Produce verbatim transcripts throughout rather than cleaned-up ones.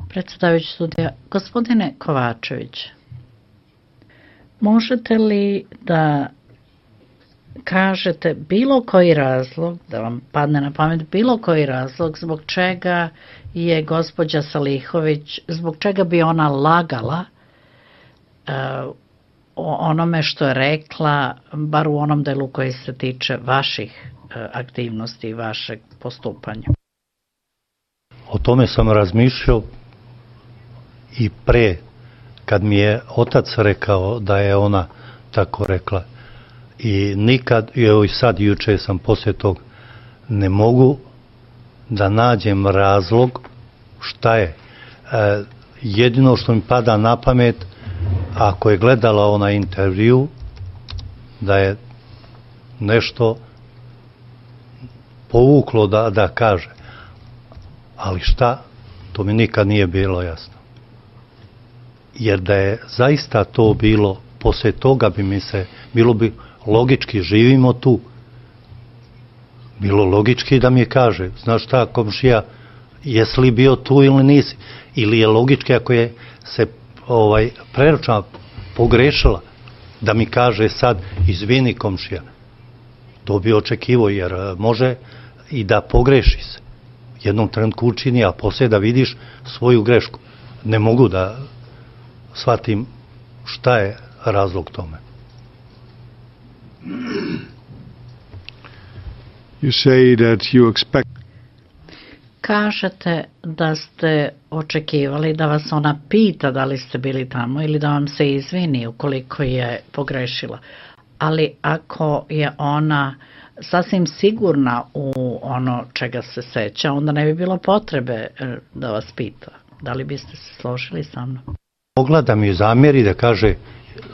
Predsjedavajući sudija, gospodine Kovačević, možete li da kažete bilo koji razlog, da vam padne na pamet bilo koji razlog zbog čega je gospođa Salihović, zbog čega bi ona lagala uh, o onome što je rekla, bar u onom delu koji se tiče vaših uh, aktivnosti i vašeg postupanja? O tome sam razmišljao i pre, kad mi je otac rekao da je ona tako rekla. I nikad, evo i sad juče sam poslije tog, ne mogu da nađem razlog šta je. E, jedino što mi pada na pamet, ako je gledala onaj intervju, da je nešto povuklo da, da kaže. Ali šta, to mi nikad nije bilo jasno. Jer da je zaista to bilo, poslije toga bi mi se, bilo bi logički, živimo tu, bilo logički da mi kaže, znaš šta, komšija, jesi li bio tu ili nisi, ili je logički ako je se ovaj, preračuna pogrešila, da mi kaže sad, izvini komšija, to bi očekivo, jer može i da pogreši se, jednom trenutku učini, a poslije da vidiš svoju grešku. Ne mogu da shvatim šta je razlog tome. You say that you expect... Kažete da ste očekivali da vas ona pita da li ste bili tamo ili da vam se izvini ukoliko je pogrešila. Ali ako je ona sasvim sigurna u ono čega se seća, onda ne bi bilo potrebe da vas pita. Da li biste se složili sa mnom? Mogla da mi zamjeri da kaže,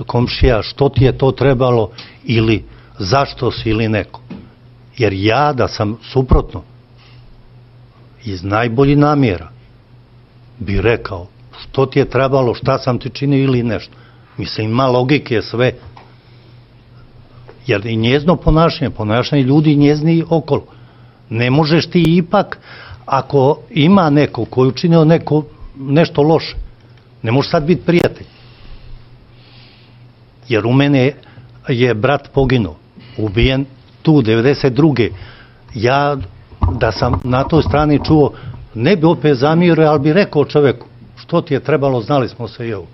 komšija, što ti je to trebalo ili zašto si ili neko. Jer ja da sam suprotno, iz najboljih namjera, bi rekao što ti je trebalo, šta sam ti činio ili nešto. Mislim, ima logike sve. Jer i njezno ponašanje, ponašanje ljudi i njezni okolo. Ne možeš ti ipak, ako ima neko koji učinio neko, nešto loše, ne može sad biti prijatelj. Jer u mene je brat poginuo, ubijen tu, devedeset druge. Ja, da sam na toj strani čuo, ne bi opet zamirio, ali bi rekao čoveku, što ti je trebalo, znali smo se i ovo.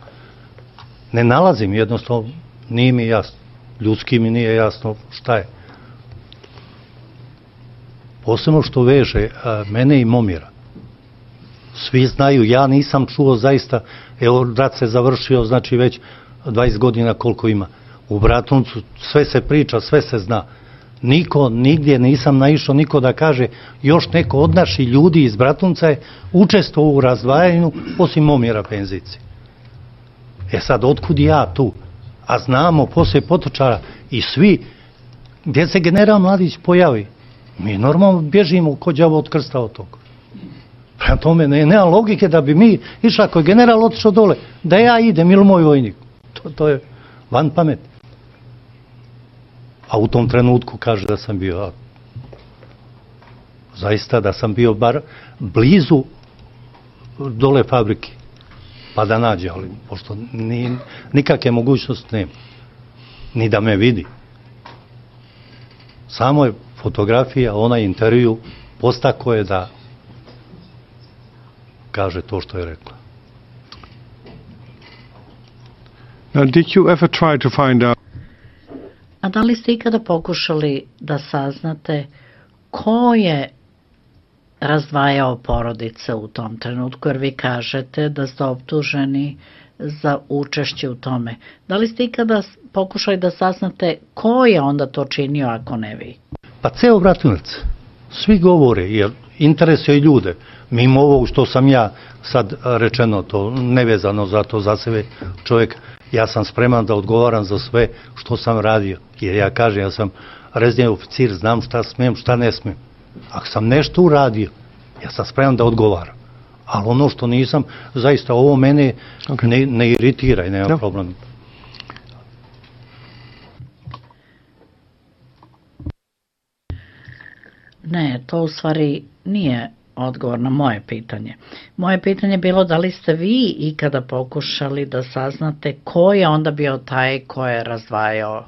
Ne nalazim, jednostavno, nije mi jasno. Ljudski mi nije jasno šta je. Posebno što veže a, mene i Momira. Svi znaju, ja nisam čuo zaista, evo, rat se završio, znači već dvadeset godina koliko ima. U Bratuncu sve se priča, sve se zna. Niko, nigdje nisam naišao, niko da kaže, još neko od naših ljudi iz Bratunca je učestvovao u razdvajanju, osim Momira penzici. E sad, otkud ja tu? A znamo, poslije Potočara i svi, gdje se general Mladić pojavi, mi normalno bježimo ko đavo od krsta od toga. Prema tome, ne, nema logike da bi mi išli, ako je general otišao dole, da ja idem ili moj vojnik. To, to je van pameti. A u tom trenutku kaže da sam bio, a, zaista da sam bio bar blizu dole fabrike, pa da nađe, ali pošto ni, nikakve mogućnosti nema, ni da me vidi. Samo je fotografija, onaj intervju, postako je da kaže to što je rekla. Now, did you ever try to find out? A da li ste ikada pokušali da saznate ko je razdvajao porodice u tom trenutku, jer vi kažete da ste optuženi za učešće u tome. Da li ste ikada pokušali da saznate ko je onda to činio, ako ne vi? Pa ceo Bratunac, svi govore, jer interesuje ljude. Mimo ovog što sam ja sad rečeno, to nevezano za to za sebe čovjek, ja sam spreman da odgovaram za sve što sam radio. Jer ja kažem, ja sam rezni oficir, znam šta smijem, šta ne smijem. Ako sam nešto uradio, ja sam spreman da odgovaram. Ali ono što nisam, zaista ovo mene okay. ne, ne iritira i nema no. problem. Ne, to u stvari nije odgovor na moje pitanje. Moje pitanje je bilo da li ste vi ikada pokušali da saznate ko je onda bio taj ko je razdvajao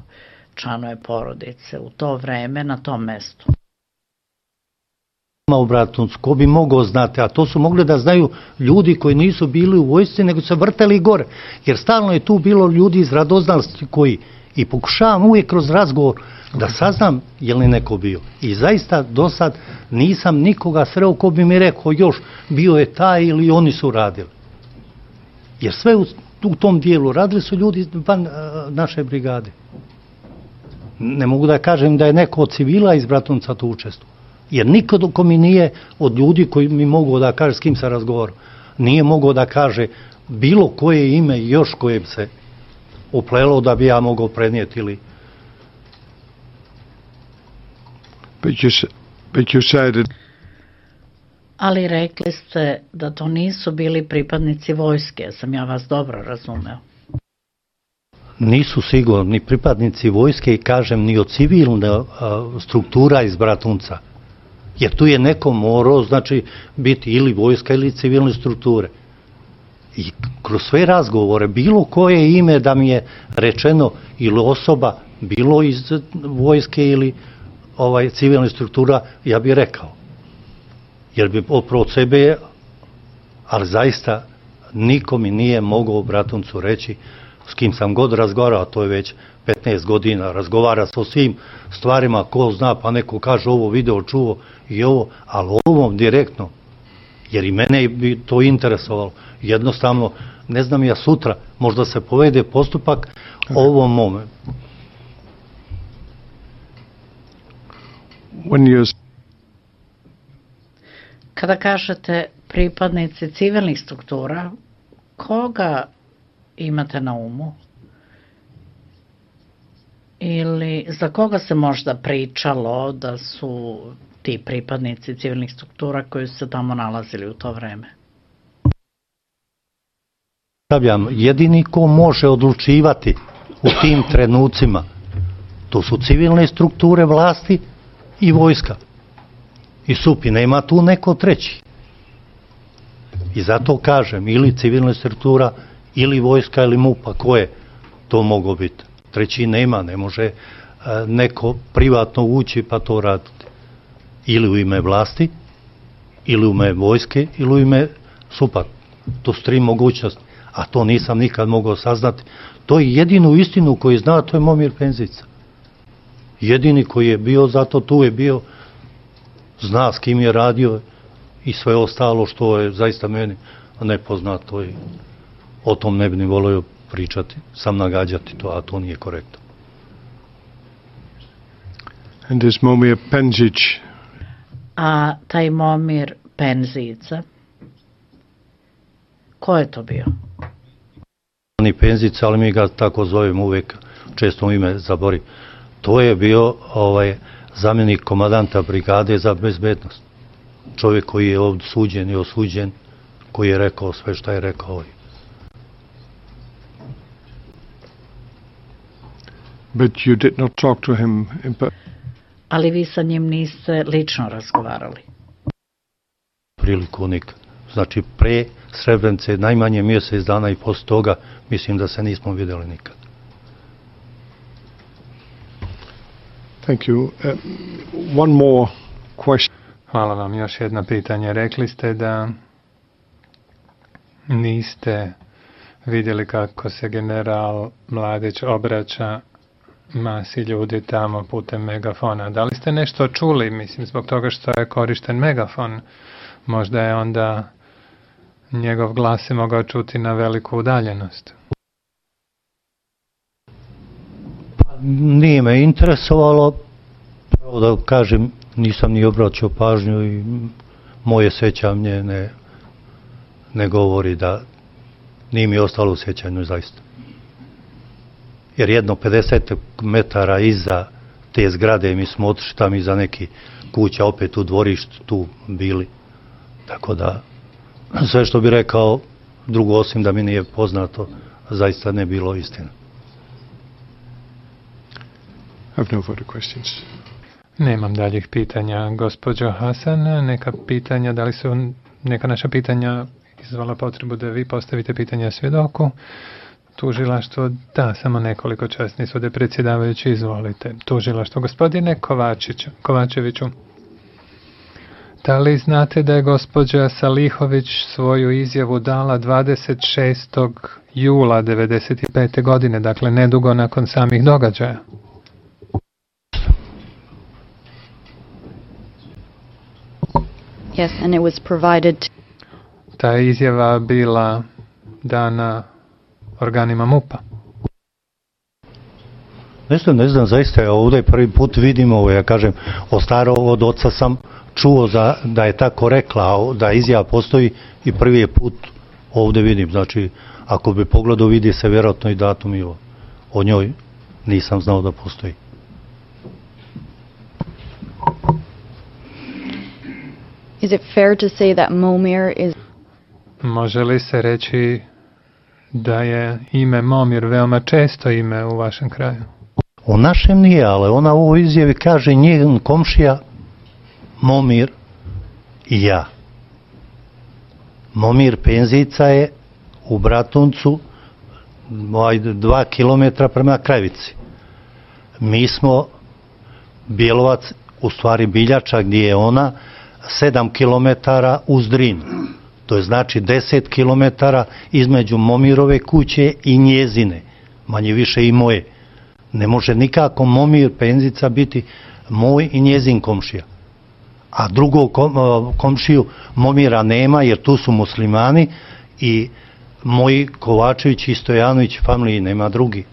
članove porodice u to vreme na tom mestu. U Bratuncu, ko bi mogao znati, a to su mogli da znaju ljudi koji nisu bili u vojsci, nego se vrteli gore, jer stalno je tu bilo ljudi iz radoznalosti koji, i pokušavam uvijek kroz razgovor da saznam je li neko bio. I zaista do sad nisam nikoga sreo ko bi mi rekao još bio je taj ili oni su radili. Jer sve u, u tom dijelu radili su ljudi van naše brigade. Ne mogu da kažem da je neko od civila iz Bratunca tu učestvovao. Jer niko ko mi nije od ljudi koji mi mogu da kaže s kim se razgovaram, nije mogao da kaže bilo koje ime još koje bi se uplelo da bi ja mogao prenijeti ili... But you, but you said that... Ali rekli ste da to nisu bili pripadnici vojske, sam ja vas dobro razumeo. Nisu sigurno ni pripadnici vojske i kažem ni od civilne struktura iz Bratunca. Jer tu je neko morao, znači, biti ili vojska ili civilne strukture. I kroz sve razgovore, bilo koje ime da mi je rečeno ili osoba, bilo iz vojske ili ovaj, civilne struktura, ja bih rekao. Jer bi opravo od sebe, ali zaista niko mi nije mogao u Bratuncu reći s kim sam god razgovarao, to je već petnaest godina, razgovara sa svim stvarima, ko zna, pa neko kaže ovo video, čuo i ovo, ali ovom direktno, jer i mene bi to interesovalo. Jednostavno, ne znam ja sutra, možda se povede postupak ovom momentu. Kada kažete pripadnici civilnih struktura, koga imate na umu? Ili za koga se možda pričalo da su ti pripadnici civilnih struktura koji su se tamo nalazili u to vreme? Jedini ko može odlučivati u tim trenucima, to su civilne strukture vlasti i vojska. I SUP, nema tu neko treći. I zato kažem, ili civilna struktura, ili vojska, ili MUP-a, ko je to moglo biti? Treći nema, ne može neko privatno ući pa to raditi. Ili u ime vlasti, ili u ime vojske, ili u ime SUP-a. To su tri mogućnosti, a to nisam nikad mogao saznati. To je jedinu istinu koju zna, to je Momir Penzica. Jedini koji je bio, zato tu je bio, zna s kim je radio i sve ostalo što je zaista meni nepoznato i o tom ne bi ni volio pričati, sam nagađati to, a to nije korektno. And this Momir Penzic. A taj Momir Penzica, ko je to bio? Ni Penzica, ali mi ga tako zovemo uvek, često mu ime zabori. To je bio ovaj, zamjenik komandanta brigade za bezbednost. Čovjek koji je ovdje suđen i osuđen, koji je rekao sve što je rekao. But you did not talk to him in... Ali vi sa njim niste lično razgovarali? Priliku nikad. Znači pre Srebrenice najmanje mjesec dana i posle toga mislim da se nismo vidjeli nikad. Thank you. Uh, one more question. Hvala vam. Još jedno pitanje. Rekli ste da niste vidjeli kako se general Mladić obraća masi ljudi tamo putem megafona. Da li ste nešto čuli, mislim, zbog toga što je korišten megafon? Možda je onda njegov glas se mogao čuti na veliku udaljenost. Nije me interesovalo, pravo da kažem, nisam ni obraćao pažnju i moje sećanje ne, ne govori da nije mi ostalo u sećanju zaista. Jer jedno pedeset metara iza te zgrade mi smo otišli tamo iza neki kuća, opet u dvorištu tu bili. Tako da sve što bi rekao drugo osim da mi nije poznato zaista ne bilo istina. I have no further questions. Nemam daljih pitanja, gospođo Hasan. Neka pitanja, da li su neka naša pitanja izvala potrebu da vi postavite pitanja svjedoku? Tužilaštvo, da, samo nekoliko časni sude, predsjedavajući, izvolite. Tužilaštvo, gospodine Kovačić, Kovačeviću, da li znate da je gospođa Salihović svoju izjavu dala dvadeset šestog jula devedeset pete. godine, dakle nedugo nakon samih događaja? Yes, and it was provided. Ta izjava bila dana organima MUP-a. Ne znam, ne znam, zaista ja ovdje prvi put vidim ovo, ja kažem, od starog od oca sam čuo za, da je tako rekla, da izjava postoji i prvi je put ovdje vidim. Znači, ako bi pogledao, vidi se vjerojatno i datum i o, o njoj nisam znao da postoji. Is it fair to say that Momir is... Može li se reći da je ime Momir veoma često ime u vašem kraju? U našem nije, ali ona u ovoj izjavi kaže njen komšija Momir i ja. Momir Penzica je u Bratuncu dva kilometra prema Krajevici. Mi smo Bjelovac, u stvari Biljača, gdje je ona, sedam kilometara uz Drinu. To je znači deset kilometara između Momirove kuće i njezine, manje više i moje. Ne može nikako Momir Penzica biti moj i njezin komšija. A drugog komšiju Momira nema, jer tu su muslimani i moji Kovačević i Stojanović familiji nema drugi.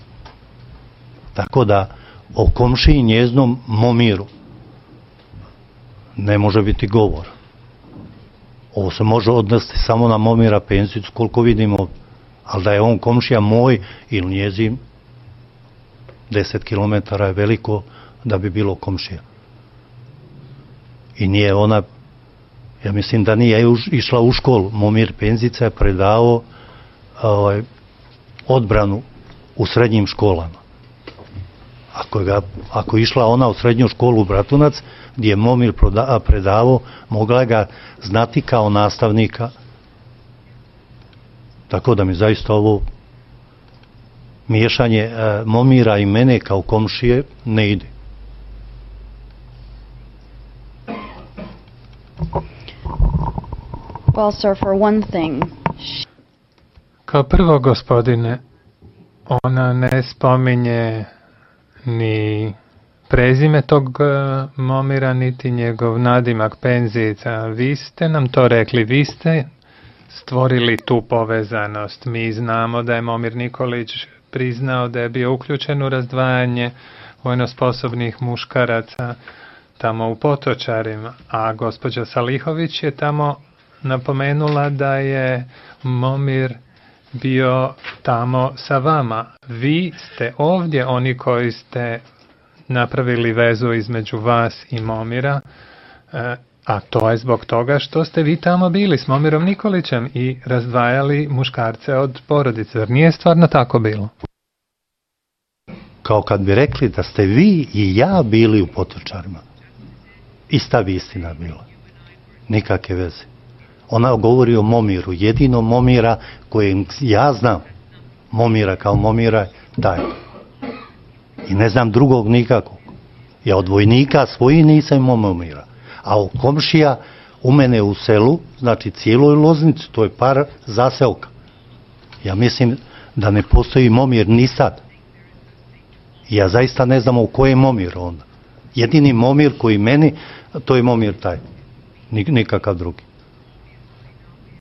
Tako da o komšiji njeznom Momiru ne može biti govor. Ovo se može odnesti samo na Momira Penzicu, koliko vidimo, ali da je on komšija moj ili njezin, deset kilometara je veliko da bi bilo komšija. I nije ona, ja mislim da nije išla u školu. Momir Penzica je predavao ovaj, odbranu u srednjim školama. Ako, ga, ako je išla ona u srednju školu u Bratunac, gdje je Momir predavao, mogla ga znati kao nastavnika. Tako da mi zaista ovo miješanje e, Momira i mene kao komšije ne ide. Well, sir, for one thing... Kao prvo, gospodine, ona ne spominje ni prezime tog Momira, niti njegov nadimak Penzica. Vi ste nam to rekli, vi ste stvorili tu povezanost. Mi znamo da je Momir Nikolić priznao da je bio uključen u razdvajanje vojno sposobnih muškaraca tamo u Potočarima, a gospođa Salihović je tamo napomenula da je Momir bio tamo sa vama. Vi ste ovdje oni koji ste napravili vezu između vas i Momira, a to je zbog toga što ste vi tamo bili s Momirom Nikolićem i razdvajali muškarce od porodice. Zar nije stvarno tako bilo? Kao kad bi rekli da ste vi i ja bili u Potočarima. Ista bi istina bila. Nikakve veze. Ona govori o Momiru, jedino Momira kojeg ja znam, Momira kao Momira, taj. I ne znam drugog nikakvog. Ja od vojnika svoji nisam imao Momira. A od komšija u mene u selu, znači cijeloj Loznici, to je par zaselka. Ja mislim da ne postoji Momir ni sad. Ja zaista ne znam u koje je Momir onda. Jedini Momir koji meni, to je Momir taj. Nikakav drugi.